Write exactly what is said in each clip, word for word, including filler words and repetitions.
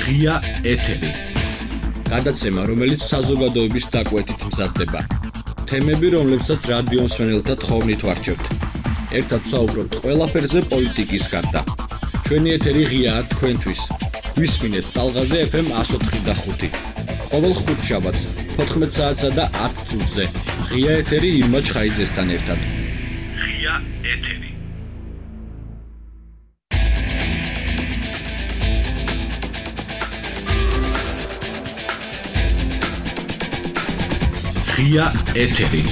ღია ეთერი. გადაცემა, რომელიც საზოგადოების დაკვეთით მზადდება. თემები, რომლებსაც რადიო მსმენელთა თხოვნით ვარჩევთ. ერთად საუბრობთ ყველაფერზე პოლიტიკის გარდა. ჩვენი ეთერი ღიაა თქვენთვის. გვისმინეთ ტალღაზე ეფ ემ εκατო ოთხი და ხუთი. ყოველ ხუთშაბათს ოთხმეტ საათსა და ათ წუთზე. ღია ეთერი ირმა ჩხაიძესთან ერთად. ღია ეთერი. ღია ეთერი.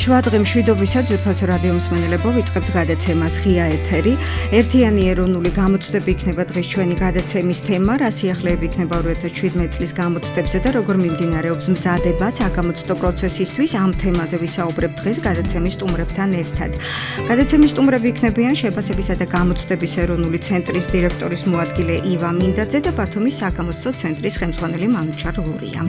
შვადღი მშვიდობისა ძვირფასო რადიო მსმენელებო, ვიწყებთ გადაცემას ღია ეთერი. ერთიანი ეროვნული გამოცდები იქნება დღეს ჩვენი გადაცემის თემა, რა სიახლეები იქნება ორი ათას შვიდმეტ წლის გამოცდებზე და როგორ მიმდინარეობს მზადება საგამოცდო პროცესისთვის. ამ თემაზე ვისაუბრებთ დღეს გადაცემის სტუმრებთან ერთად. გადაცემის სტუმრები იქნებიან შეფასებისა და გამოცდების ეროვნული ცენტრის დირექტორის მოადგილე ივა მინდაძე და ბათუმის საგამოცდო ცენტრის ხელმძღვანელი მანუჩარ ლურია.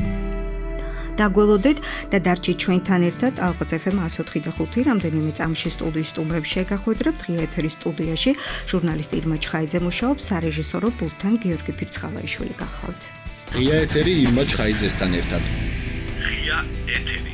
დაგველოდეთ და დარჩით ჩვენთან ერთად ალყაც ეფ ემ εκατო ოთხი და ხუთი. რამდენიმე წამში სტუდიის სტუმრებს შეგახვედრებთ. ღია ეთერის სტუდიაში ჟურნალისტი ირმა ჩხაიძე მუშაობს, სარეჟისორო პულტთან გიორგი ფირცხალაიშვილი გახლავთ. ღია ეთერი ირმა ჩხაიძესთან ერთად. ღია ეთერი.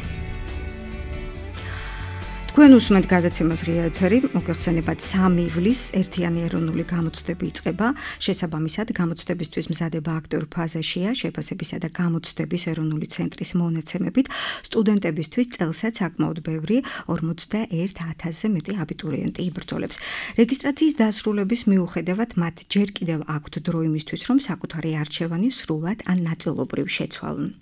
თქვენ უსმენთ გადაცემას ღია ეთერი, მოგეხსენებათ სამი ივლისს ერთიანი ეროვნული გამოცდები იწყება. შესაბამისად, გამოცდებისთვის მზადება აქტიურ ფაზაშია. შეფასებისა და გამოცდების ეროვნული ცენტრის მონაცემებით სტუდენტებისთვის წელსაც საკმაოდ ბევრი ორმოცდაერთ ათასზე მეტი აბიტურიენტი იბრძოლებს. რეგისტრაციის დასრულების მიუხედავად მათ ჯერ კიდევ აქვთ დრო იმისთვის, რომ საკუთარი არჩევანი სრულად ან ნაწილობრივ შეცვალონ.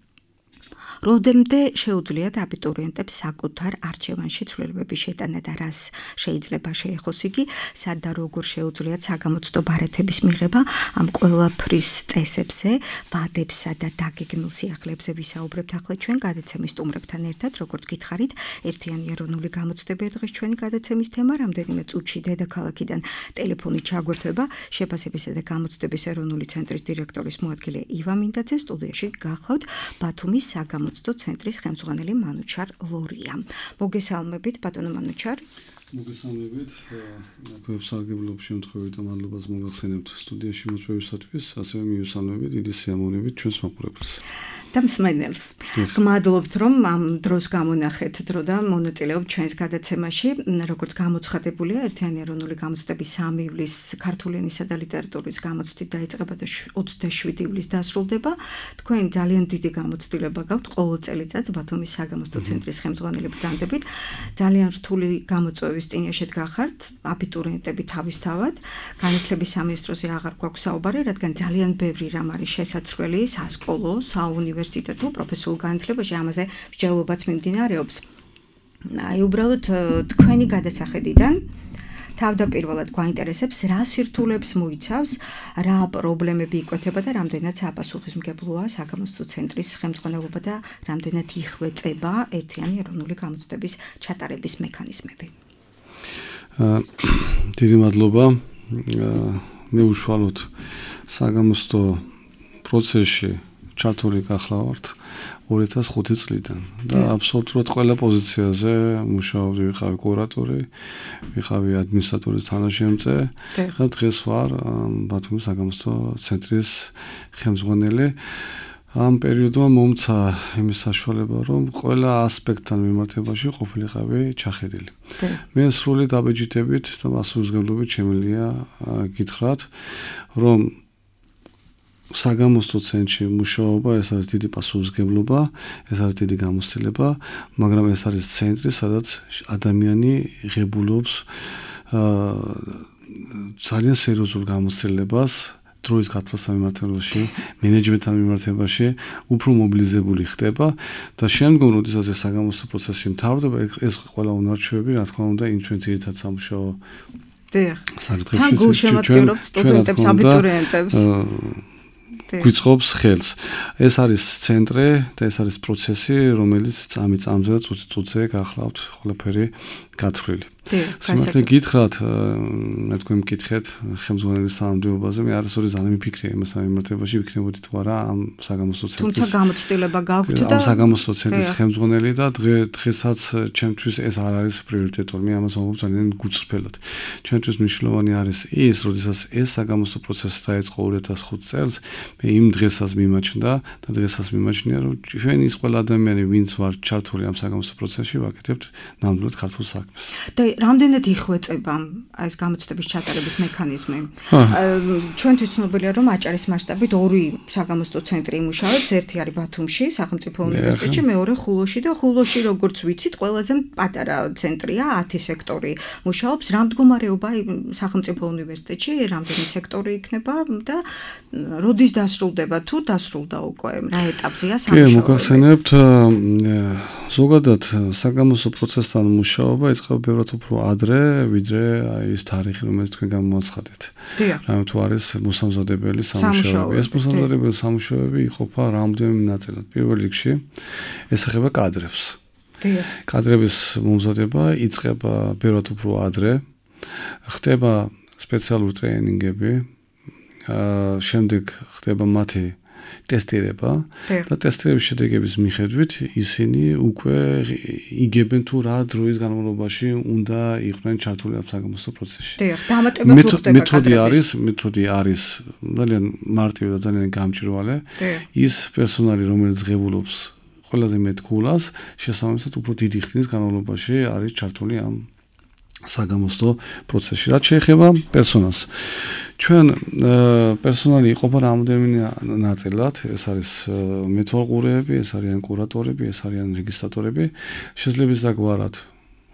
როდემდე შეუძლიათ აბიტურიენტებს საკუთარ არჩევანში ცვლილებების შეტანა და რას შეიძლება შეეხოს იგი, სად და როგორ შეუძლიათ საგამოცდო ბარათების მიღება, ამ ყველაფრის წესებზე, ვადებსა და დაგეგმილ სიახლეებზე ვისაუბრებთ ახლა ჩვენ გადაცემის სტუმრებთან ერთად. როგორც გითხარით, ერთიანი ეროვნული გამოცდები დღეს ჩვენი გადაცემის თემა. რამდენიმე წუთში დედაქალაქიდან ტელეფონით ჩაგვერთვება შეფასებისა და გამოცდების ეროვნული ცენტრის დირექტორის მოადგილე ივა მინდაძე. სტუდიაში გახლავთ ბათუმის საგამოცდო ცენტრის ხელმძღვანელი მანუჩარ ლურია. მოგესალმებით ბატონო მანუჩარ. მოგესალმებით. გვესალმებით შემთხვევით და მადლობას მოგახსენებთ სტუდიაში მოწვევისათვის, ასევე მივესალმებით დიდი სიამოვნებით ჩვენს მაყურებელს. და მსმენელს. გმადლობთ რომ ამ დროს გამონახეთ დრო და მონაწილეობთ ჩვენს გადაცემაში. როგორც გამოცხადებულია, ერთიანი ეროვნული გამოცდები სამი ივლისს ქართული ენისა და ლიტერატურის გამოცდით დაიწყება და ოცდაშვიდი ივლისს დასრულდება. თქვენ ძალიან დიდი გამოცდილება გაქვთ ყოველ წელიწადს ბათუმის საგამოცდო ცენტრის ხელმძღვანელი ბრძანდებით. ძალიან რთული გამოწვევის წინაშე გახართ, აბიტურიენტები თავისთავად. განათლების სამინისტროზე აღარ გვაქვს საუბარი, რადგან ძალიან ბევრი რამ არის შესაძლებელი სასკოლო, საუნივერსიტეტო, პროფესიულ განათლებაში, ამაზე მსჯელობაც მიმდინარეობს. აი, უბრალოდ თქვენი გადასახედიდან თავდაპირველად გვაინტერესებს, რა სირთულეებს მოიცავს, რა პრობლემები იკვეთება და რამდენად საპასუხისმგებლოა საგამოცდო ცენტრის ხელმძღვანელობა და რამდენად იხვეწება ერთიანი ეროვნული გამოცდების ჩატარების მექანიზმები. დიდი მადლობა. მე უშუალოდ საგამოცდო პროცესში ჩართული გახლავართ ორი ათას ხუთი წლიდან და აბსოლუტურად ყველა პოზიციაზე მუშაობდი, ვიყავი კურატორი, ვიყავი ადმინისტრატორის თანაშემწე და დღეს ვარ ბათუმის საგამოცდო ცენტრის ხელმძღვანელი. ამ პერიოდმა მომცა იმის საშუალება, რომ ყველა ასპექტთან მიმართებაში ყოფილიყავი ჩახედილი. მე სრული დაბეჭდებით და პასუხისმგებლობით შემიძლია გითხრათ, რომ საგამოცდო ცენტრში მუშაობა ეს არის დიდი პასუხისმგებლობა, ეს არის დიდი გამოცდილება, მაგრამ ეს არის ცენტრი, სადაც ადამიანი ღებულობს ძალიან სერიოზულ გამოცდილებას დროის გათვლასთან მიმართებაში, მენეჯმენტთან მიმართებაში, უფრო მობილიზებული ხდება და შემდგომ, როდესაც ეს საგამოცდო პროცესი მთავრდება, ეს ყველა უნარჩვევები, რა თქმა უნდა, იმ ჩვენ ძირითად სამუშაო საკითხებში თან გულშემატკივრობთ სტუდენტებს, აბიტურიენტებს. გვიწყობს ხელს. ეს არის ცენტრი და ეს არის პროცესი, რომელიც წამი წამზე და წუთი წუთზე გახლავთ ყველაფერი გათვლილი. სიმართლე გითხრათ, მე თქვენ მკითხეთ ხელმძღვანელის თანამდებობაზე, მე არასოდეს არ მიფიქრე იმასთან მიმართებაში, ვიქნებოდი თუ არა ამ საგამოსტო ცენტრის. თუმცა გამოცდილება გაქვთ და ამ საგამოსტო ცენტრის ხელმძღვანელი და დღესაც ჩემთვის ეს არ არის პრიორიტეტული, მე ამას ვამბობ ძალიან გუწრფელად. ჩემთვის მნიშვნელოვანი არის ის, როდესაც ეს საგამოსტო პროცესი დაიწყო ორი ათას ხუთი წელს, მე იმ დღესაც მიმაჩნდა და დღესაც მიმაჩნია, რომ ჩვენ ის ყველა ადამიანი, ვინც ვარ ჩართული ამ საგამოსტო პროცესში, ვაკეთებთ ნამდვილად ქართულ საქმეს. და რამდენად იხვეწება ეს გამოცდების ჩატარების მექანიზმი? ჩვენთვის ცნობილია, რომ აჭარის მასშტაბით ორი საგამოსტო ცენტრი იმუშავებს, ერთი არის ბათუმში, სახელმწიფო უნივერსიტეტში, მეორე ხულოში და ხულოში, როგორც ვიცით, ყველაზე პატარა ცენტრია, ათი სექტორი მუშაობს. რა მდგომარეობა სახელმწიფო უნივერსიტეტში, რამდენი სექტორი იქნება და როდის დასრულდება თუ დასრულდა უკვე, რა ეტაპზეა სამუშაოები? კი, მოგახსენებთ, ზოგადად საგამოსტო პროცესთან მუშაობა იწყება ბევრად უფრო ადრე, ვიდრე ის თარიღი, რომელიც თქვენ გამოაცხადეთ. რამე თუ არის მოსამზადებელი სამუშაოები. ეს მოსამზადებელი სამუშაოები იყოფა რამდენიმე ნაწილად. პირველ რიგში ეს ეხება კადრებს. კადრების მომზადება იწყება ბევრად უფრო ადრე. ხდება სპეციალური ტრეინინგები, შემდეგ ხდება მათი ტესტირება და ტესტირების შედეგების მიხედვით ისინი უკვე იგებენ თუ რა დროის განმავლობაში უნდა იყვნენ ჩართული ამ საგამოსტო პროცესში. მეთოდი არის, მეთოდი არის ძალიან მარტივი და ძალიან გამჭვირვალე. ის პერსონალი, რომელიც ღებულობს ყველაზე მეტ გულას, შესაბამისად უფრო დიდი ხნის განმავლობაში არის ჩართული ამ საგამოსტო პროცესში. რაც შეეხება პერსონალს, ჩვენ პერსონალი იყოფა რამდენიმე ნაწილად, ეს არის მეთვალყურეები, ეს არიან კურატორები, ეს არიან რეგისტრატორები. შესაძლებელი საგვარად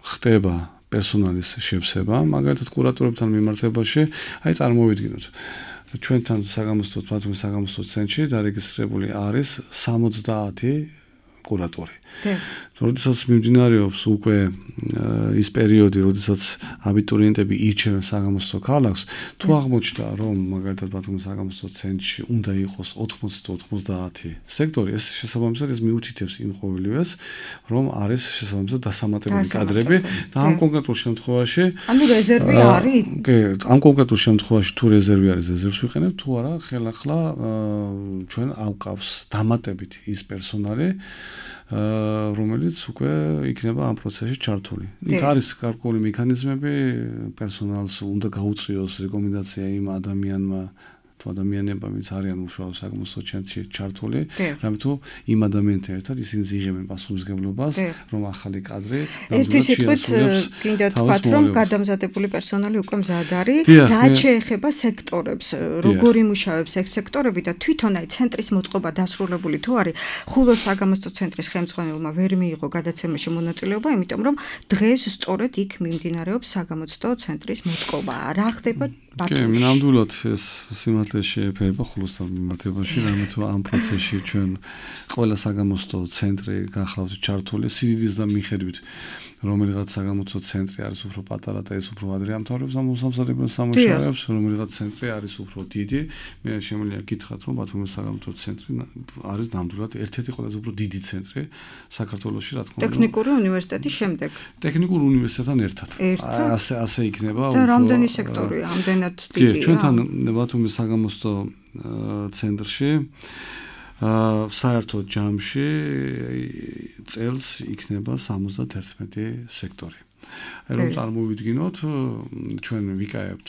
ხდება პერსონალის შევსება, მაგალითად კურატორებთან მიმართებაში, აი წარმოვიდგინოთ. ჩვენთან საგამოსტო ბათუმის საგამოსტო ცენტრში დარეგისტრირებული არის სამოცდაათი კურატორი. როდესაც მიმდინარეობს უკვე ის პერიოდი, როდესაც აბიტურიენტები ირჩევენ საგამოსტო ქალაქს, თუ აღმოჩნდა, რომ მაგალითად ბათუმის საგამოსტო ცენტრში უნდა იყოს ოთხმოცი თუ ოცდაათი სექტორი, ეს შესაბამისად ეს მიუთითებს იმ ყოველივეს, რომ არის შესაბამისად დასამატებელი კადრები და ამ კონკრეტულ შემთხვევაში, ანუ რეზერვი არის? კი, ამ კონკრეტულ შემთხვევაში თუ რეზერვი არის, რეზერვს ვიყენებ, თუ არა, ხელახლა ჩვენ ავყავს დამატებით ის პერსონალი, რომელიც უკვე იქნება ამ პროცესში ჩართული. იქ არის გარკვეული მექანიზმები, პერსონალს უნდა გაუწიოს რეკომენდაცია იმ ადამიანმა თუ ადამიანებმა, ვინც არიან უშუალოდ საგამოსტო ცენტრში ჩართული, რამე თუ იმ ადამიანთან ერთად ისინი იღებენ პასუხისმგებლობას, რომ ახალი კადრი ერთი სიტყვით გინდა თქვათ, რომ გადამზადებული პერსონალი უკვე მზად არის, რაც შეეხება სექტორებს, როგორ იმუშავებს ეს სექტორები და თვითონ აი ცენტრის მოწყობა დასრულებული თუ არის, ხულოს საგამოსტო ცენტრის ხელმძღვანელმა ვერ მიიღო გადაცემაში მონაწილეობა, იმიტომ რომ დღეს სწორედ იქ მიმდინარეობს საგამოსტო ცენტრის მოწყობა. რა ხდება ბათუმში? კი, ნამდვილად ეს სიმართლე შეეფერება ხულოსთან მიმართებაში, რამე თუ ამ პროცესში ჩვენ ყველა საგამოსტო ცენტრი გახლავთ ჩართული სიდიდის და მიხედვით, რომელიღაც საგამოსტო ცენტრი არის უფრო პატარა და ეს უფრო ადრე ამთავრებს ამ მოსამზადებელ სამუშაოებს, რომელიღაც ცენტრი არის უფრო დიდი. მე შემიძლია გითხრათ, რომ ბათუმის საგამოსტო ცენტრი არის ნამდვილად ერთ-ერთი ყველაზე უფრო დიდი ცენტრი საქართველოში, რა თქმა უნდა. ტექნიკური უნივერსიტეტის შემდეგ. ტექნიკურ უნივერსიტეტთან ერთად. ასე ასე იქნება. და რამდენი სექტორია, ამდენად დიდია? კი, ჩვენთან ბათუმის საგამოსტო ცენტრში საერთო ჯამში წელს იქნება სამოცდაერთმეტი სექტორი. რომ წარმოვიდგინოთ, ჩვენ ვიკაებთ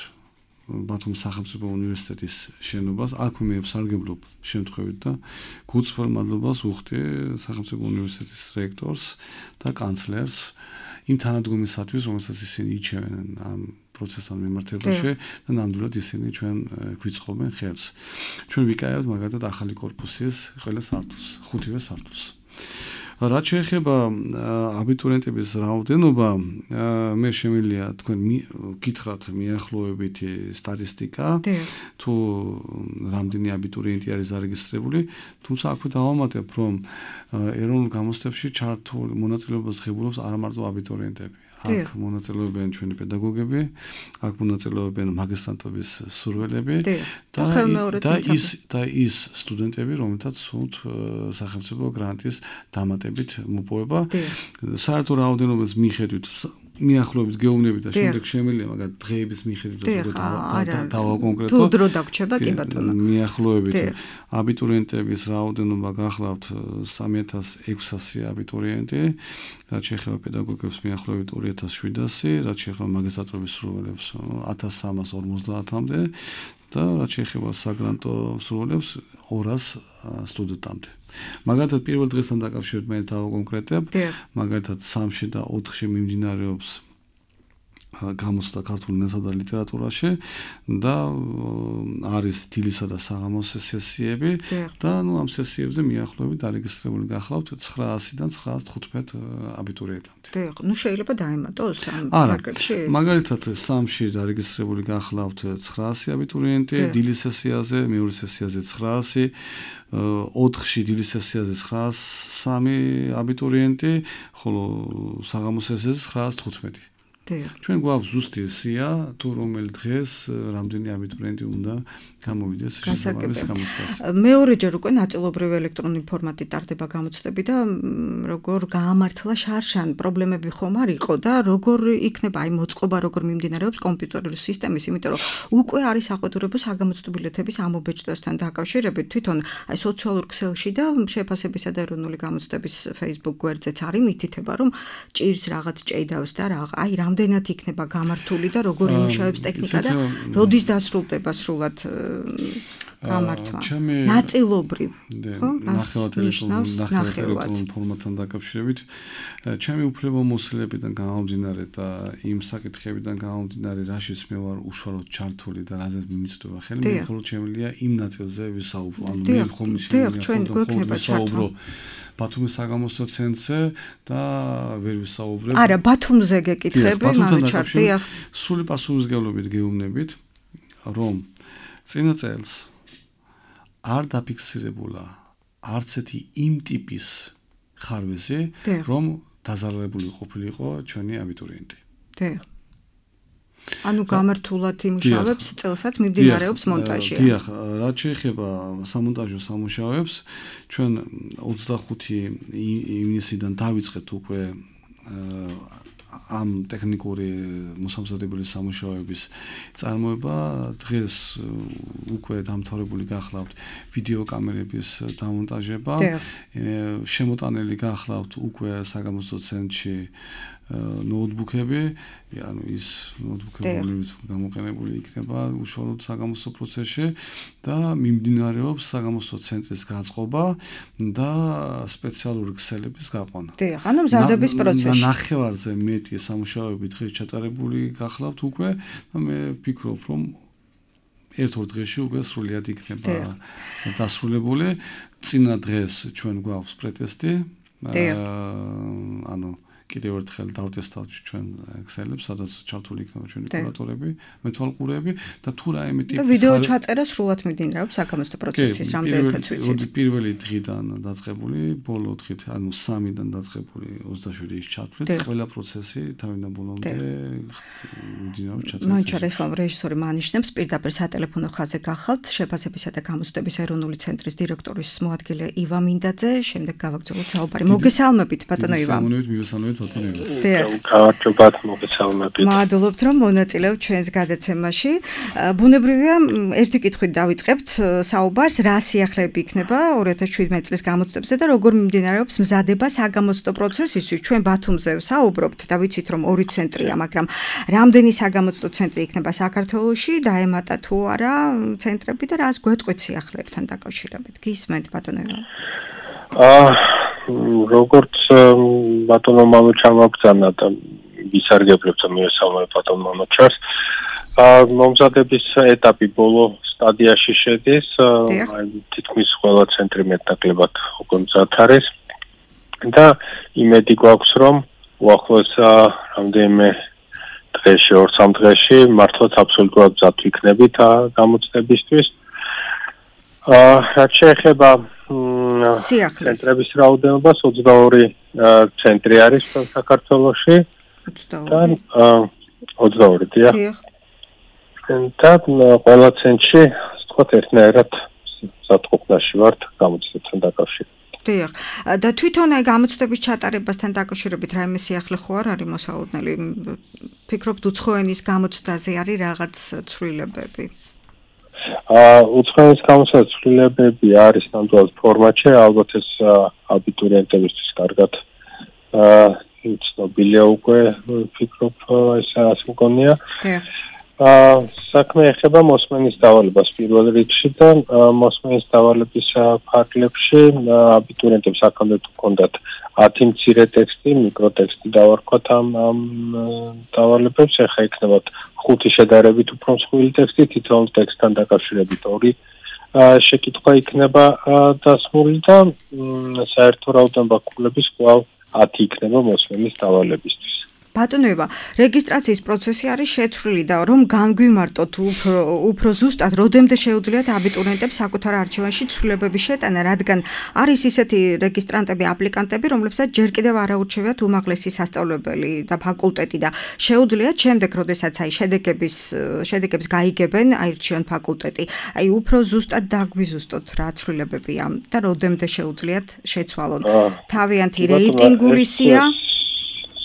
ბათუმის სახელმწიფო უნივერსიტეტის შენობას, აქ მე ვსარგებლობ შემთხვევით და გუწეველ მადლობას ვუხდი სახელმწიფო უნივერსიტეტის რექტორს და კანცლერს იმ თანადგომისათვის, რომელსაც ისინი იჩევენ ამ პროცესთან მიმართებაში და ნამდვილად ისინი ჩვენ გვიწყობენ ხელს. ჩვენ ვიკაებთ მაგალითად ახალი კორპუსის ყველა სართულს, ხუთივე სართულს. რაც შეეხება აბიტურიენტების რაოდენობა, მე შემიძლია თქვენ გითხრათ მიახლოებითი სტატისტიკა, თუ რამდენი აბიტურიენტი არის დარეგისტრირებული, თუმცა აქვე დავამატებ, რომ ეროვნულ გამოცდებში ჩართული მონაწილეობას ღებულობს არა მარტო აბიტურიენტები. აქ მონაწილეობენ ჩვენი პედაგოგები, აქ მონაწილეობენ მაგისტრატობის სურვილები და და ის და ის სტუდენტები, რომელთაც სულთ სახელმწიფო გრანტის დამატებით მოპოვება. საერთო რაოდენობის მიხედვით მიახლოებით გეუბნები და შემდეგ შემიძლია მაგათ დღეების მიხედვით დავა კონკრეტულად თუ დრო დაგვრჩება კი ბატონო მიახლოებით აბიტურიენტების რაოდენობა გახლავთ სამი ათას ექვსასი აბიტურიენტი რაც შეეხება პედაგოგებს მიახლოებით ორი ათას შვიდასი რაც შეეხება მაგისტრატურის მსურველებს ათას სამას ორმოცდაათამდე და რაც შეეხება საგრანტო მსურველებს ორას სტუდენტამდე მაგალითად პირველ დღესთან დაკავშირებით მე დავაკონკრეტებ მაგალითად სამში და ოთხში მიმდინარეობს გამოცდა ქართულ ენასა და ლიტერატურაში და არის დილისა და საღამოს სესიები და ნუ ამ სესიებზე მიახლოებით დარეგისტრირებული გახლავთ ცხრაასიდან ცხრაას თხუთმეტ აბიტურიენტამდე. დიახ, ნუ შეიძლება დაემატოს ამ მარკებში. მაგალითად სამში დარეგისტრირებული გახლავთ ცხრაასი აბიტურიენტი, დილის სესიაზე, მეორე სესიაზე ცხრაასი, ოთხში დილის სესიაზე ცხრაას სამი აბიტურიენტი, ხოლო საღამოს სესიაზე ცხრაას თხუთმეტი. ჩვენ გვაქვს ზუსტი სია თუ რომელ დღეს რამდენი აბიტურიენტი უნდა გამოვიდეს შესაბამის გამოცდაზე. მეორეჯერ უკვე ნაწილობრივ ელექტრონული ფორმატით ტარდება გამოცდები და როგორ გაამართლა შარშან პრობლემები ხომ არ იყო და როგორ იქნება აი მოწყობა როგორ მიმდინარეობს კომპიუტერული სისტემის, იმიტომ რომ უკვე არის საყვედურებო საგამოცდო ბილეთების ამობეჭდვასთან დაკავშირებით თვითონ აი სოციალურ ქსელში და შეფასებისა და ეროვნული გამოცდების Facebook გვერდზეც არის მითითება რომ ჭირს რაღაც ჭეიდავს და რა აი რამდენად იქნება გამართული და როგორ იმუშავებს ტექნიკა და როდის დასრულდება სრულად გამართვა. ნაწილობრივ, ხო? ნახევარად ელექტრონულ ფორმატთან დაკავშირებით, ჩემი უფლებამოსილებიდან გამომდინარე და იმ საკითხებიდან გამომდინარე, რაშიც მე ვარ უშუალოდ ჩართული და რაზეც მიმიწვდება ხელი, მე მხოლოდ შემიძლია იმ ნაწილზე ვისაუბრო. ანუ მე ხომ შემიძლია ვისაუბრო ბათუმის საგამოცდო ცენტრზე და ვერ ვისაუბრებ. არა, ბათუმზე გეკითხები, მანუჩარ, დიახ. სრული პასუხისმგებლობით გეუბნებით, რომ წინა წელს არ დაფიქსირებულა არც ერთი იმ ტიპის ხარვეზი, რომ დაზარალებული ყოფილიყო ჩვენი აბიტურიენტი. დიახ. ანუ გამართულად იმუშავებს წელსაც მიმდინარეობს მონტაჟი. დიახ, რაც შეეხება სამონტაჟო სამუშაოებს, ჩვენ ოცდახუთი ივნისიდან დავიწყეთ უკვე ამ ტექნიკური მოსამზადებელი სამუშაოების წარმოება. დღეს უკვე დამთავრებული გახლავთ ვიდეო კამერების დამონტაჟება. შემოტანილი გახლავთ უკვე საგამოცდო ცენტრში ნოუთბუქები, ანუ ის ნოუთბუქები, რომლებიც გამოყენებული იქნება უშუალოდ საგამოცდო პროცესში და მიმდინარეობს საგამოცდო ცენტრის გაწყობა და სპეციალური ქსელების გაყვანა. დიახ, ანუ მზადების პროცესი. ნახევარზე მეტი სამუშაოები დღეს ჩატარებული გახლავთ უკვე და მე ვფიქრობ, რომ ერთ-ორ დღეში უკვე სრულიად იქნება დასრულებული. წინა დღეს ჩვენ გვაქვს პრეტესტი. ანუ კიდევ ერთხელ დავტესტავთ ჩვენ ქსელებს, სადაც ჩართული იქნება ჩვენი კურატორები, მეთვალყურეები და თუ რაიმე ტიპის და ვიდეო ჩაწერა სრულად მიმდინარეობს საგამოცდო პროცესის რამდენადაც ვიცით. პირველი დღიდან დაწყებული, ბოლო დღით, ანუ სამიდან დაწყებული ოცდაშვიდი ის ჩათვლით, ყველა პროცესი თავიდან ბოლომდე მიმდინარეობს ჩაწერა. მანჩარ ეხლა რეჟისორი მანიშნებს პირდაპირ სატელეფონო ხაზზე გახავთ შეფასებისა და გამოცდების ეროვნული ცენტრის დირექტორის მოადგილე ივა მინდაძე, შემდეგ გავაგრძელოთ საუბარი. მოგესალმებით ბატონო ივა. მოგესალმებით, მოგესალმებით. გავარჯობათ, მოგესალმებით. მადლობთ, რომ მონაწილეობთ ჩვენს გადაცემაში. ბუნებრივია, ერთი კითხვით დავიწყებთ საუბარს, რა სიახლეები იქნება ორი ათას შვიდმეტი წლის გამოცდებზე და როგორ მიმდინარეობს მზადება საგამოცდო პროცესისთვის. ჩვენ ბათუმზე საუბრობთ და ვიცით, რომ ორი ცენტრია, მაგრამ რამდენი საგამოცდო ცენტრი იქნება საქართველოში, დაემატა თუ არა ცენტრები და რას გვეტყვით სიახლეებთან დაკავშირებით. გისმენთ ბატონო ივა? აა როგორც ბატონო მამუჩარმა მოგწანა და ვისარგებლებ და მიესალმებ ბატონო მამუჩარს. აა მომზადების ეტაპი ბოლო სტადიაში შედის. აი თითქმის ყველა ცენტრი მეტნაკლებად უკვე მზად არის. და იმედი გვაქვს, რომ უახლოეს რამდენიმე დღეში, ორ-სამ დღეში მართლაც აბსოლუტურად მზად ვიქნებით გამოცდებისთვის. აა რაც შეეხება ცენტრების რაოდენობას ოცდაორი ცენტრი არის საქართველოში. ოცდაორი. ოცდაორი დიახ. და ყველა ცენტრში, ასე ვთქვათ, ერთნაირად სათყოფნაში ვართ გამოცდებთან დაკავშირებით. დიახ. და თვითონ აი გამოცდების ჩატარებასთან დაკავშირებით რაიმე სიახლე ხო არ არის მოსალოდნელი? ფიქრობთ უცხოენის გამოცდაზე არის რაღაც ცვლილებები? აა უცხოენის გამოცდაზე ცვლილებები არის ნამდვილად ფორმატში, ალბათ ეს აბიტურიენტებისთვის კარგად აა ცნობილია უკვე, ფიქრობ ეს ასე მგონია. დიახ. აა საქმე ეხება მოსმენის დავალებას პირველ რიგში და მოსმენის დავალების ფარგლებში აბიტურიენტებს აქამდე ჰქონდათ ათი მცირე ტექსტი, მიკროტექსტი დავარქვათ ამ ამ დავალებებს, ახლა იქნებათ ხუთი შედარებით უფრო მსხვილი ტექსტი, თითოეულ ტექსტთან დაკავშირებით ორი შეკითხვა იქნება დასმული და საერთო რაოდენობა ქულების კვლავ ათი იქნება მოსმენის დავალებისთვის. ბატონოება, რეგისტრაციის პროცესი არის შეცვლილი და რომ განგვიმარტოთ უფრო უფრო ზუსტად, როდემდე შეუძლიათ აბიტურიენტებს საკუთარ არჩევანში ცვლილებების შეტანა, რადგან არის ისეთი რეგისტრანტები, აპლიკანტები, რომლებსაც ჯერ კიდევ არ აურჩევიათ უმაღლესი სასწავლებელი და ფაკულტეტი და შეუძლიათ შემდეგ, როდესაც აი შედეგების შედეგებს გაიგებენ, აირჩიონ ფაკულტეტი. აი უფრო ზუსტად დაგვიზუსტოთ რა ცვლილებებია და როდემდე შეუძლიათ შეცვალონ. თავიანთი რეიტინგული სია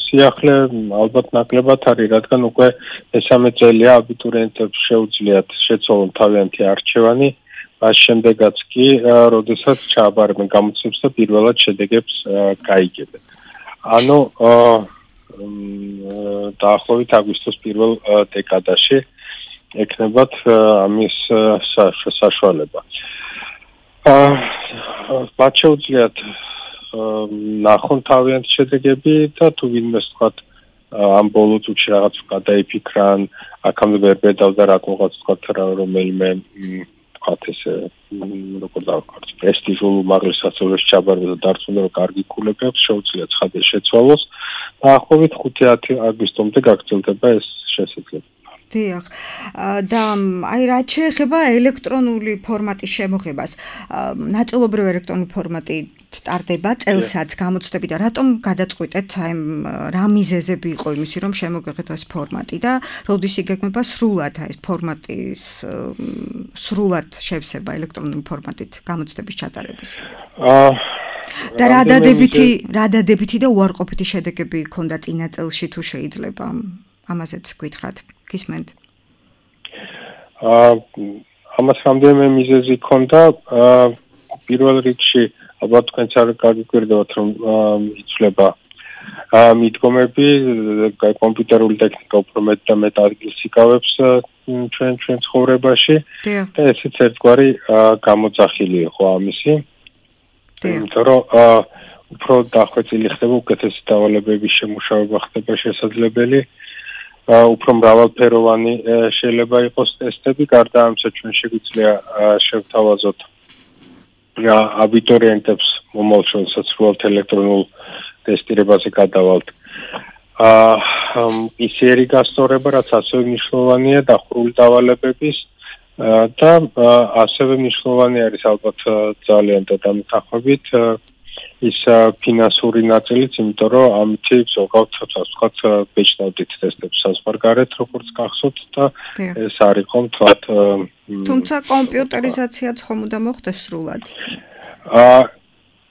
სიახლე ალბათ ნაკლებად არის, რადგან უკვე მესამე წელია აბიტურიენტებს შეუძლიათ შეცვალონ თავიანთი არჩევანი, მას შემდეგაც კი, როდესაც ჩააბარებენ გამოცდებს და პირველად შედეგებს გაიგებენ. ანუ დაახლოებით აგვისტოს პირველ დეკადაში ექნებათ ამის საშუალება. მათ შეუძლიათ ნახონ თავიანთი შედეგები და თუ ვინმეს თქვათ ამ ბოლო წუთში რაღაც გადაიფიქრან, აქამდე ვერ ბედავდა რატომღაც თქვათ რომელიმე თქვათ ესე როგორ დავკართ პრესტიჟულ უმაღლეს სასწავლებელში ჩაბარება და დარწმუნდა რომ კარგი ქულები აქვს, შეუძლიათ ცხადე შეცვალოს. დაახლოებით ხუთი ათი აგვისტომდე გაგრძელდება ეს შესაძლებლობა. დიახ. და აი რაც შეეხება ელექტრონული ფორმატის შემოღებას, ნაწილობრივ ელექტრონული ფორმატი ტარდება წელსაც გამოცდები და რატომ გადაწყვიტეთ აი რა მიზეზები იყო იმისი რომ შემოგეღეთ ეს ფორმატი და როდის იგეგმება სრულად აი ეს ფორმატის სრულად შევსება ელექტრონული ფორმატით გამოცდების ჩატარების? აა და რა დადებითი რა დადებითი და უარყოფითი შედეგები ჰქონდა წინა წელში თუ შეიძლება ამაზეც გითხრათ? გისმენთ? აა ამას რამდენიმე მიზეზი ჰქონდა. აა პირველ რიგში ალბათ თქვენც არ გაგიკვირდებათ რომ იცვლება მიდგომები, კომპიუტერული ტექნიკა უფრო მეტ და მეტ ადგილს იკავებს ჩვენ ჩვენ ცხოვრებაში და ესეც ერთგვარი გამოძახილი იყო ამისი. იმიტომ რომ უფრო დახვეწილი ხდება, უკეთესი დავალებების შემუშავება ხდება შესაძლებელი. უფრო მრავალფეროვანი შეიძლება იყოს ტესტები, გარდა ამისა ჩვენ შეგვიძლია შევთავაზოთ აბიტურიენტებს მომავალ სრულად ელექტრონულ ტესტირებაზე გადავალთ. პი-სი-არი გასწორება, რაც ასევე მნიშვნელოვანია დახურული დავალებების და ასევე მნიშვნელოვანი არის ალბათ ძალიან და დამეთანხმებით ის ფინანსური ნაწილიც, იმიტომ რომ ამით ზოგადად ვთქვათ ბეჭდავდით ტესტებს საზღვარგარეთ, როგორც გახსოვთ და ეს არ იყო მთლად. თუმცა კომპიუტერიზაციაც ხომ უნდა მოხდეს სრულად? აა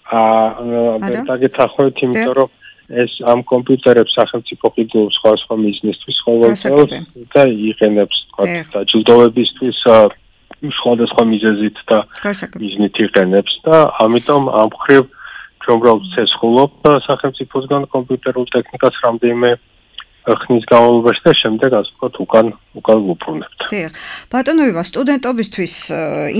აა დაგეთახოთ, იმიტომ რომ ეს ამ კომპიუტერებს სახელმწიფო ყიდულობს სხვადასხვა მიზნისთვის ყოველ წელს და იყენებს თქვათ დაჯილდოებისთვის სხვადასხვა მიზეზით და მიზნით იყენებს და ამიტომ ამ ხრივ უბრალოდ ცესხულობ სახელმწიფოსგან კომპიუტერულ ტექნიკას რამდენიმე ხნის განმავლობაში და შემდეგ ასე ვთქვათ უკან უკან ვუბრუნებთ. დიახ. ბატონოება, სტუდენტობისთვის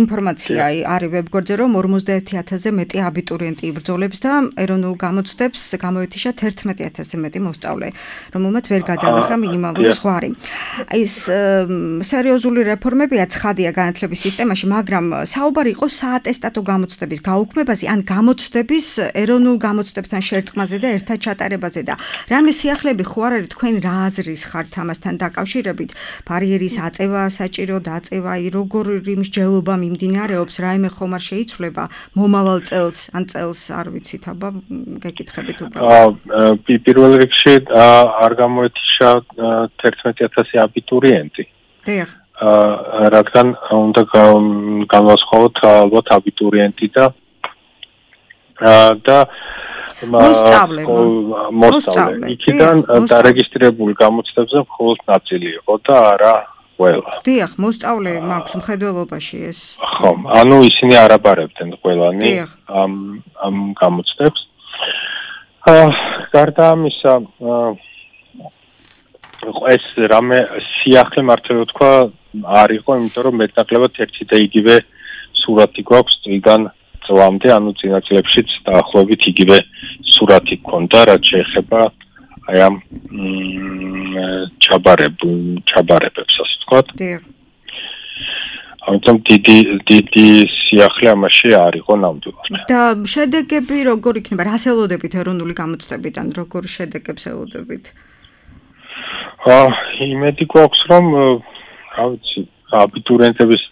ინფორმაცია არის ვებგვერდზე, რომ ორმოცდაერთი ათასზე მეტი აბიტურიენტი იბრძოლებს და ეროვნულ გამოცდებს გამოეთიშა თერთმეტი ათასზე მეტი მოსწავლე, რომელმაც ვერ გადაახლა მინიმალური ზღვარი. ეს სერიოზული რეფორმებია ცხადია განათლების სისტემაში, მაგრამ საუბარი იყო საატესტატო გამოცდების გაუქმებაზე, ან გამოცდების ეროვნულ გამოცდებთან შერწყმაზე და ერთად ჩატარებაზე და რამე სიახლეები ხო არ არის თქვენ რა აზრის ხართ ამასთან დაკავშირებით? ბარიერის აწევა, საჭირო დაწევა, როგორ მსჯელობა მიმდინარეობს, რაიმე ხომ არ შეიცვლება მომავალ წელს, ან წელს არ ვიცით, აბა გეკითხებით უბრალოდ. პირველ რიგში არ გამოეთიშა თერთმეტი ათასი აბიტურიენტი. დიახ. რადგან უნდა განვასხვაოთ ალბათ აბიტურიენტი და და მოსწავლე მოსწავლე იქიდან დარეგისტრირებული გამოცდებზე მხოლოდ ნაწილი იყო და არა ყველა. დიახ, მოსწავლე მაქვს მხედველობაში ეს. ხო, ანუ ისინი არ აბარებდნენ ყველანი ამ ამ გამოცდებს. აა გარდა ამისა, ეს რამე სიახლე მართლა თქვა არ იყო, იმიტომ რომ მეტნაკლებად ერთი და იგივე სურათი გვაქვს წლიდან წლამდე, ანუ წინა წლებშიც დაახლოებით იგივე სურათი გქონდა, რაც შეეხება აი ამ ჩაბარებ ჩაბარებებს, ასე ვთქვათ. დიახ. ამიტომ დიდი დიდი სიახლე ამაში არ იყო ნამდვილად. და შედეგები როგორ იქნება? რას ელოდებით ეროვნული გამოცდებიდან, როგორ შედეგებს ელოდებით? აა, იმედი გვაქვს, რომ რა ვიცი, აბიტურიენტების